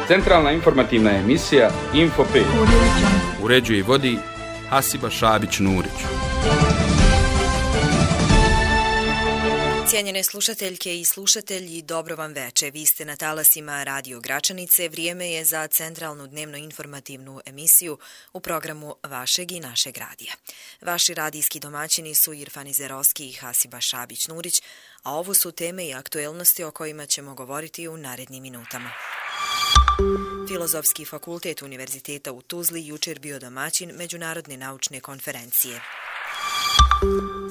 Centralna informativna emisija Info 5. Uređuje i vodi Hasiba Šabić-Nurić. Cijenjene slušateljke i slušatelji, dobro vam veče. Vi ste na talasima Radio Gračanice. Vrijeme je za centralnu dnevno informativnu emisiju u programu vašeg i našeg radija. Vaši radijski domaćini su Irfan Izerovski i Hasiba Šabić-Nurić, a ovo su teme i aktuelnosti o kojima ćemo govoriti u narednim minutama. Filozofski fakultet Univerziteta u Tuzli jučer bio domaćin Međunarodne naučne konferencije.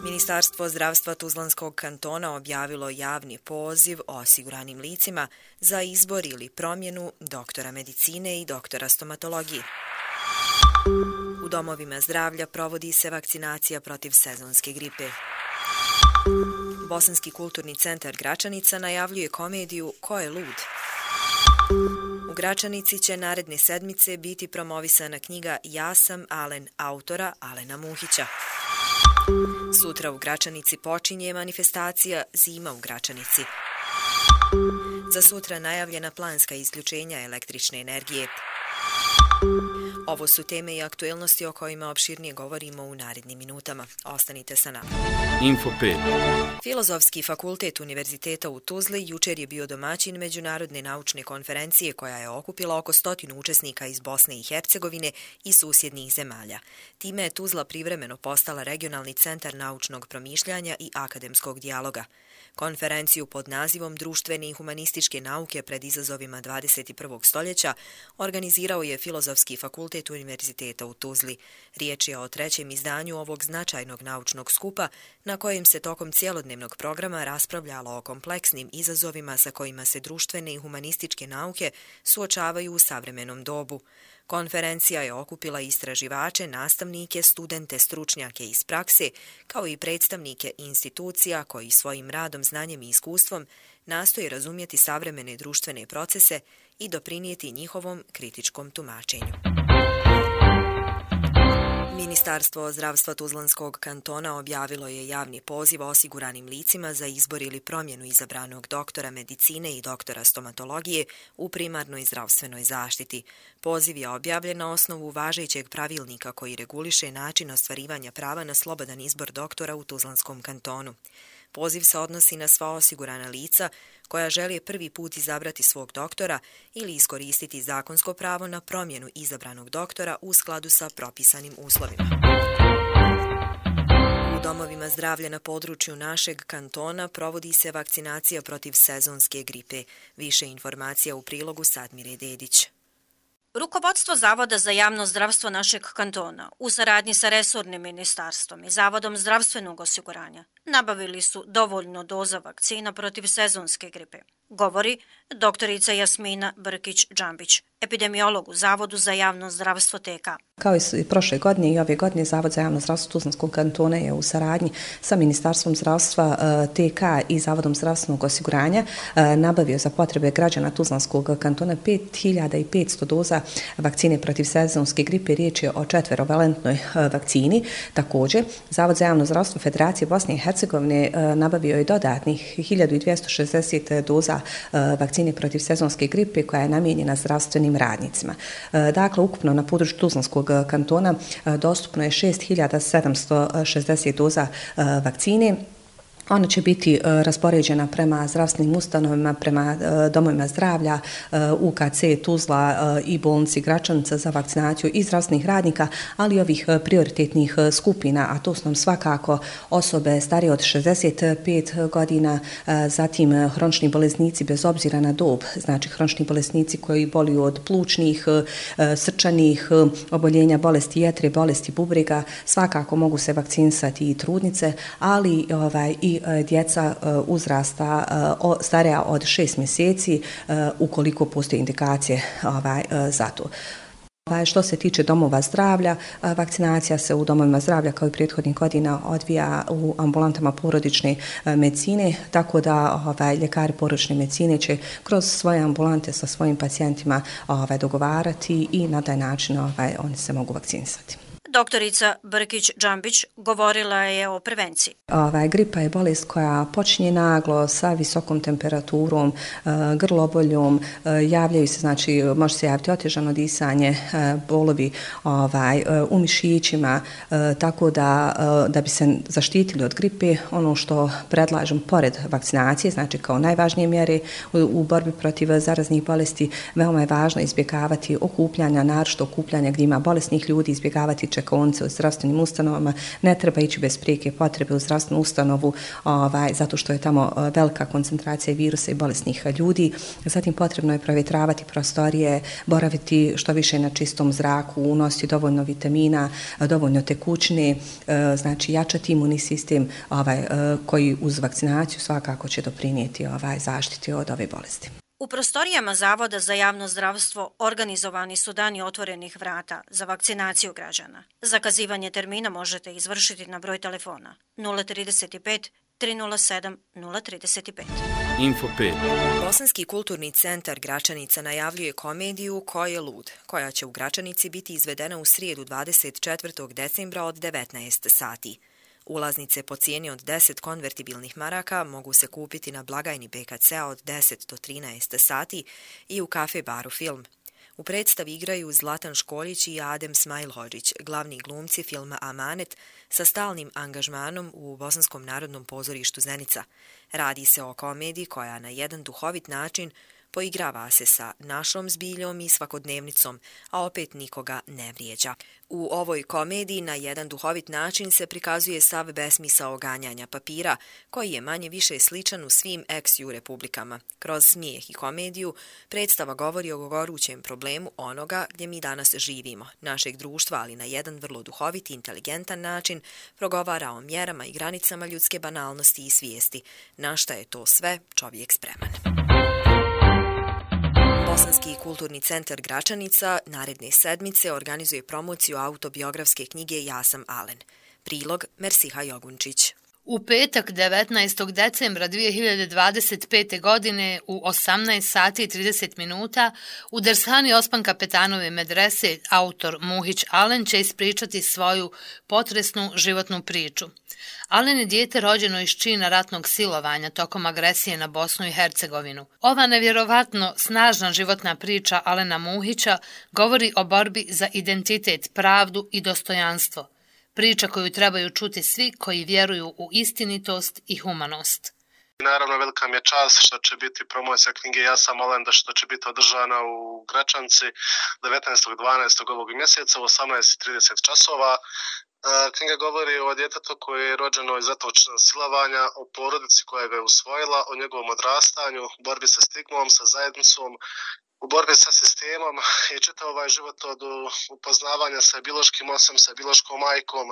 Ministarstvo zdravstva Tuzlanskog kantona objavilo javni poziv osiguranim licima za izbor ili promjenu doktora medicine i doktora stomatologije. U domovima zdravlja provodi se vakcinacija protiv sezonske gripe. Bosanski kulturni centar Gračanica najavljuje komediju Ko je lud? U Gračanici će naredne sedmice biti promovisana knjiga Ja sam Alen autora Alena Muhića. Sutra u Gračanici počinje manifestacija Zima u Gračanici. Za sutra najavljena planska isključenja električne energije. Ovo su teme i aktuelnosti o kojima opširnije govorimo u narednim minutama. Ostanite sa nama. Info 5. Filozofski fakultet Univerziteta u Tuzli jučer je bio domaćin Međunarodne naučne konferencije koja je okupila oko 100 učesnika iz Bosne i Hercegovine i susjednih zemalja. Time je Tuzla privremeno postala regionalni centar naučnog promišljanja i akademskog dijaloga. Konferenciju pod nazivom Društvene i humanističke nauke pred izazovima 21. stoljeća organizirao je Filozofski fakultet Univerziteta u Tuzli. Riječ je o trećem izdanju ovog značajnog naučnog skupa na kojem se tokom cjelodnevnog programa raspravljalo o kompleksnim izazovima sa kojima se društvene i humanističke nauke suočavaju u savremenom dobu. Konferencija je okupila istraživače, nastavnike, studente, stručnjake iz prakse, kao i predstavnike institucija koji svojim radom, znanjem i iskustvom nastoje razumjeti savremene društvene procese i doprinijeti njihovom kritičkom tumačenju. Ministarstvo zdravstva Tuzlanskog kantona objavilo je javni poziv osiguranim licima za izbor ili promjenu izabranog doktora medicine i doktora stomatologije u primarnoj zdravstvenoj zaštiti. Poziv je objavljen na osnovu važećeg pravilnika koji reguliše način ostvarivanja prava na slobodan izbor doktora u Tuzlanskom kantonu. Poziv se odnosi na sva osigurana lica koja žele prvi put izabrati svog doktora ili iskoristiti zakonsko pravo na promjenu izabranog doktora u skladu sa propisanim uslovima. U domovima zdravlja na području našeg kantona provodi se vakcinacija protiv sezonske gripe. Više informacija u prilogu Sadmire Dedić. Rukovodstvo Zavoda za javno zdravstvo našeg kantona u saradnji sa resornim ministarstvom i Zavodom zdravstvenog osiguranja nabavili su dovoljno doza vakcina protiv sezonske gripe, govori doktorica Jasmina Brkić-Džambić, epidemiolog u Zavodu za javno zdravstvo TK. Kao i prošle godine i ove godine Zavod za javno zdravstvo Tuzlanskog kantona je u saradnji sa Ministarstvom zdravstva TK i Zavodom zdravstvenog osiguranja nabavio za potrebe građana Tuzlanskog kantona 5500 doza vakcine protiv sezonske gripe. Riječ je o 4-valentnoj vakcini. Također, Zavod za javno zdravstvo Federacije Bosne i Hercegovine nabavio je dodatnih 1260 doza vakcine protiv sezonske gripe koja je namijenjena zdravstvenim radnicima. Dakle, ukupno na području Tuzlanskog kantona dostupno je 6760 doza vakcine. Ona će biti raspoređena prema zdravstvenim ustanovama, prema domovima zdravlja, UKC, Tuzla i bolnici Gračanica za vakcinaciju i zdravstvenih radnika, ali i ovih prioritetnih skupina, a to su nam svakako osobe starije od 65 godina, zatim hronični bolesnici bez obzira na dob, znači hronični bolesnici koji boluju od plućnih, srčanih oboljenja, bolesti jetre, bolesti bubrega, svakako mogu se vakcinisati i trudnice, ali i djeca uzrasta starija od 6 mjeseci ukoliko postoje indikacije za to. Što se tiče domova zdravlja, vakcinacija se u domovima zdravlja kao i prethodnih godina odvija u ambulantama porodične medicine, tako da ljekari porodične medicine će kroz svoje ambulante sa svojim pacijentima dogovarati i na taj način oni se mogu vakcinisati. Doktorica Brkić-Džambić govorila je o prevenciji. Gripa je bolest koja počinje naglo sa visokom temperaturom, grloboljom, javljaju se, znači može se javiti otežano disanje, bolovi u mišićima, tako da bi se zaštitili od gripe, ono što predlažem pored vakcinacije, znači kao najvažnije mjere u borbi protiv zaraznih bolesti, veoma je važno izbjegavati okupljanja, naročito okupljanja gdje ima bolesnih ljudi, izbjegavati čekaonice u zdravstvenim ustanovama, ne treba ići bez prijeke potrebe u zdravstvenu ustanovu zato što je tamo velika koncentracija virusa i bolesnih ljudi. Zatim potrebno je provjetravati prostorije, boraviti što više na čistom zraku, unositi dovoljno vitamina, dovoljno tekućine, znači jačati imunni sistem koji uz vakcinaciju svakako će doprinijeti zaštiti od ove bolesti. U prostorijama Zavoda za javno zdravstvo organizovani su dani otvorenih vrata za vakcinaciju građana. Zakazivanje termina možete izvršiti na broj telefona 035 307 035. Info 5. Bosanski kulturni centar Gračanica najavljuje komediju Ko je lud, koja će u Gračanici biti izvedena u srijedu 24. decembra od 19 sati. Ulaznice po cijeni od 10 konvertibilnih maraka mogu se kupiti na blagajni BKC-a od 10 do 13 sati i u kafe baru Film. U predstavi igraju Zlatan Školjić i Adem Smajlhođić, glavni glumci filma Amanet, sa stalnim angažmanom u Bosanskom narodnom pozorištu Zenica. Radi se o komediji koja na jedan duhovit način poigrava se sa našom zbiljom i svakodnevnicom, a opet nikoga ne vrijeđa. U ovoj komediji na jedan duhovit način se prikazuje sav besmisao ganjanja papira, koji je manje više sličan u svim ex-ju republikama. Kroz smijeh i komediju predstava govori o gorućem problemu onoga gdje mi danas živimo, našeg društva, ali na jedan vrlo duhovit i inteligentan način progovara o mjerama i granicama ljudske banalnosti i svijesti. Na šta je to sve čovjek spreman. Bosanski kulturni centar Gračanica naredne sedmice organizuje promociju autobiografske knjige Ja sam Alen. Prilog Mersiha Jogunčić. U petak 19. decembra 2025. godine u 18 sati i 30 minuta u Dershani Osman Kapetanove medrese autor Muhić Alen će ispričati svoju potresnu životnu priču. Alen je dijete rođeno iz čina ratnog silovanja tokom agresije na Bosnu i Hercegovinu. Ova nevjerovatno snažna životna priča Alena Muhića govori o borbi za identitet, pravdu i dostojanstvo. Priča koju trebaju čuti svi koji vjeruju u istinitost i humanost. Naravno, velika mi je čast što će biti promocija knjige Ja sam Alen, što će biti održana u Gračanci 19.12. ovog mjeseca u 18:30 časova. Knjiga govori o djetetu koje je rođeno iz ratnog silovanja, o porodici koja ga je usvojila, o njegovom odrastanju, borbi sa stigmom, sa zajednicom, u borbi sa sistemom i čitav ovaj život od upoznavanja sa biološkim ocem, sa biološkom majkom,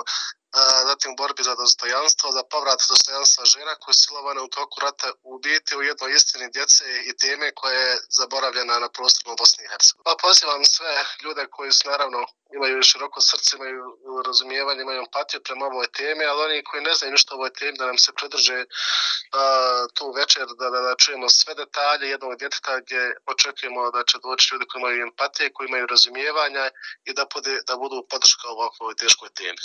zatim u borbi za dostojanstvo, za povrat dostojanstva žena koja je silovana u toku rata, u biti u jednoj istini djece i teme koja je zaboravljena na prostoru Bosne i Hercegovine. Pa pozivam sve ljude koji su naravno imaju široko srce, imaju razumijevanje, imaju empatiju prema ovoj temi, ali oni koji ne znaju ništa o ovoj temi da nam se pridrže tu večer, da čujemo sve detalje jednog djeteta gdje očekujemo da će doći ljudi koji imaju empatije, koji imaju razumijevanja i da budu podrška ovakvoj teškoj temi.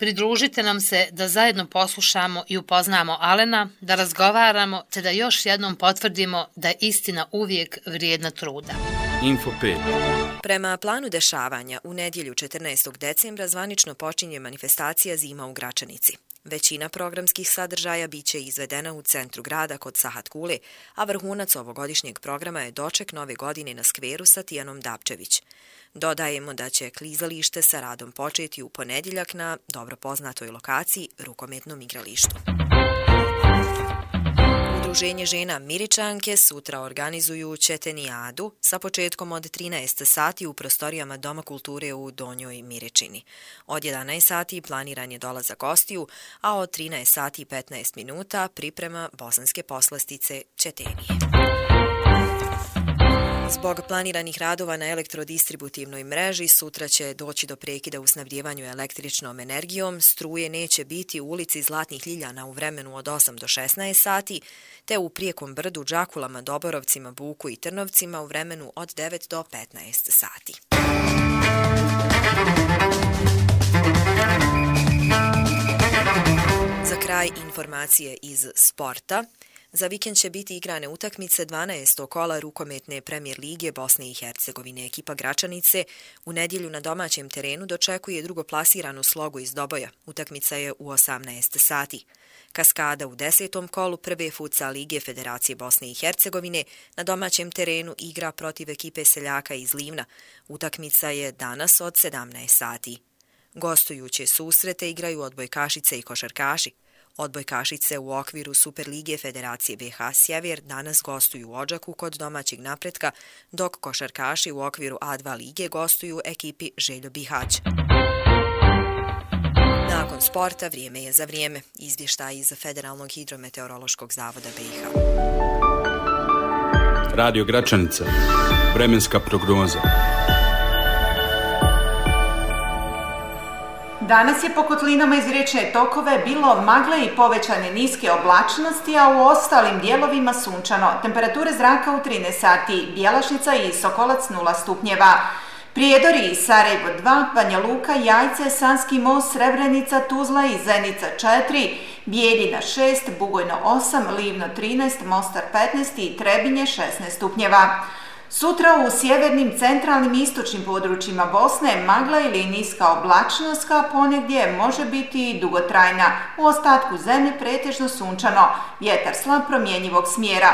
Pridružite nam se da zajedno poslušamo i upoznamo Alena, da razgovaramo te da još jednom potvrdimo da je istina uvijek vrijedna truda. Info 5. Prema planu dešavanja, u nedjelju 14. decembra zvanično počinje manifestacija Zima u Gračanici. Većina programskih sadržaja biće izvedena u centru grada kod Sahat Kule, a vrhunac ovogodišnjeg programa je doček nove godine na skveru sa Tijanom Dapčević. Dodajemo da će klizalište sa radom početi u ponedjeljak na dobro poznatoj lokaciji, rukometnom igralištu. Udruženje žena Miričanke sutra organizuju Četenijadu sa početkom od 13 sati u prostorijama Doma kulture u Donjoj Miričini. Od 11 sati planiran je dolazak gostiju, a od 13 sati i 15 minuta priprema bosanske poslastice Četenije. Zbog planiranih radova na elektrodistributivnoj mreži sutra će doći do prekida u snabdjevanju električnom energijom, struje neće biti u ulici Zlatnih Ljiljana u vremenu od 8 do 16 sati, te u Prijekom brdu, Đakulama, Doborovcima, Buku i Trnovcima u vremenu od 9 do 15 sati. kraj informacije iz sporta. Za vikend će biti igrane utakmice 12. kola rukometne premijer lige Bosne i Hercegovine. Ekipa Gračanice u nedjelju na domaćem terenu dočekuje drugoplasiranu Slogu iz Doboja. Utakmica je u 18 sati. Kaskada u 10. kolu prve futsal lige Federacije Bosne i Hercegovine na domaćem terenu igra protiv ekipe Seljaka iz Livna. Utakmica je danas od 17 sati. Gostujuće susrete igraju odbojkašice i košarkaši. Odbojkašice u okviru Superlige Federacije BiH Sjever danas gostuju u Odžaku kod domaćeg Napretka, dok košarkaši u okviru A2 lige gostuju ekipi Željo Bihać. Nakon sporta vrijeme je za vrijeme. Izvještaj iz Federalnog hidrometeorološkog zavoda BiH. Radio Gračanica. Vremenska prognoza. Danas je po kotlinama iz riječne tokove bilo magle i povećane niske oblačnosti, a u ostalim dijelovima sunčano. Temperature zraka u 13 sati, Bjelašnica i Sokolac 0 stupnjeva. Prijedori i Sarajevo 2, Banja Luka, Jajce, Sanski most, Srebrenica, Tuzla i Zenica 4, Bijeljina 6, Bugojno 8, Livno 13, Mostar 15 i Trebinje 16 stupnjeva. Sutra u sjevernim, centralnim i istočnim područjima Bosne magla ili niska oblačnost, a ponegdje može biti i dugotrajna. U ostatku zemlje pretežno sunčano, vjetar slab promjenjivog smjera.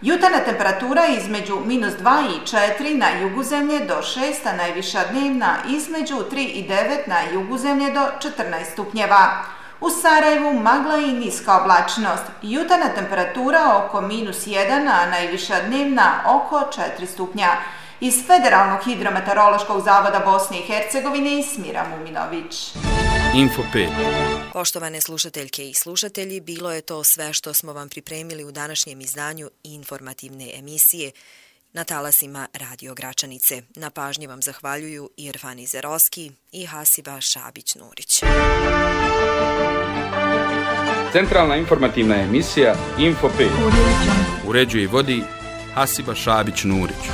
Jutarnja temperatura između -2 i 4 na jugu zemlje do 6, a najviša dnevna između 3 i 9 na jugu zemlje do 14 stupnjeva. U Sarajevu magla i niska oblačnost. Jutarnja temperatura oko -1, a najviša dnevna oko 4 stupnja. Iz Federalnog hidrometeorološkog zavoda Bosne i Hercegovine Smira Muminović. Info 5. Poštovane slušateljke i slušatelji, bilo je to sve što smo vam pripremili u današnjem izdanju informativne emisije na talasima Radio Gračanice. Na pažnji vam zahvaljuju Irfan Izeroski i Hasiba Šabić-Nurić. Centralna informativna emisija Info 5. Uređuje i vodi Hasiba Šabić-Nurić.